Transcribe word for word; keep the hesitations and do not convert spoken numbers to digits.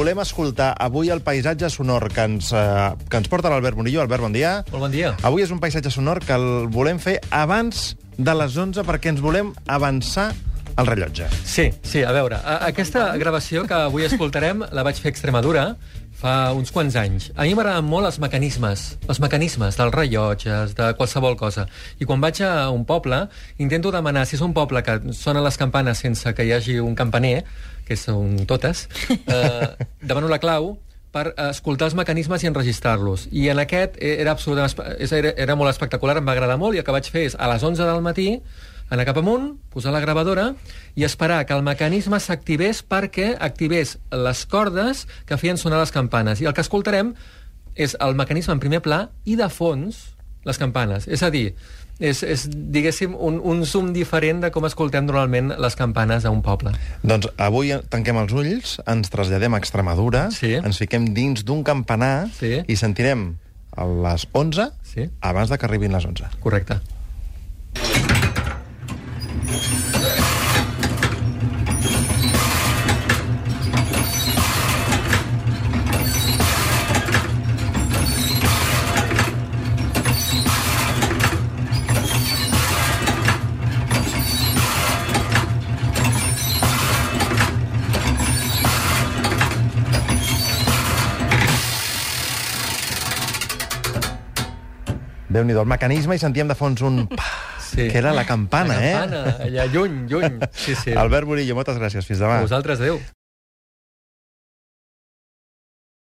volem escoltar avui el paisatge sonor que ens, eh, que ens porta l'Albert Murillo. Albert, bon dia. Molt bon dia. Avui és un paisatge sonor que el volem fer abans de les onze perquè ens volem avançar el rellotge. Sí, sí, a veure, a, aquesta gravació que avui escoltarem la vaig fer a Extremadura fa uns quants anys. A mi m'agraden molt els mecanismes, els mecanismes dels rellotges, de qualsevol cosa. I quan vaig a un poble, intento demanar, si és un poble que sonen les campanes sense que hi hagi un campaner, que són totes, eh, demano la clau per escoltar els mecanismes i enregistrar-los. I en aquest era absolutament, era, era molt espectacular, em va agradar molt, i el que vaig fer és, a les onze del matí, anar cap amunt, posar la gravadora i esperar que el mecanisme s'activés perquè activés les cordes que feien sonar les campanes. I el que escoltarem és el mecanisme en primer pla i, de fons, les campanes. És a dir, és, és diguéssim, un, un zoom diferent de com escoltem normalment les campanes a un poble. Doncs avui tanquem els ulls, ens traslladem a Extremadura, sí. ens fiquem dins d'un campanar sí. i sentirem a les onze sí. abans de que arribin les onze. Correcte. Déu-n'hi-do, el mecanisme, i sentíem de fons un pa, sí. que era la campana, la eh? campana, allà lluny, lluny. Sí, sí. Albert Murillo, moltes gràcies. Fins demà. A vosaltres, adéu.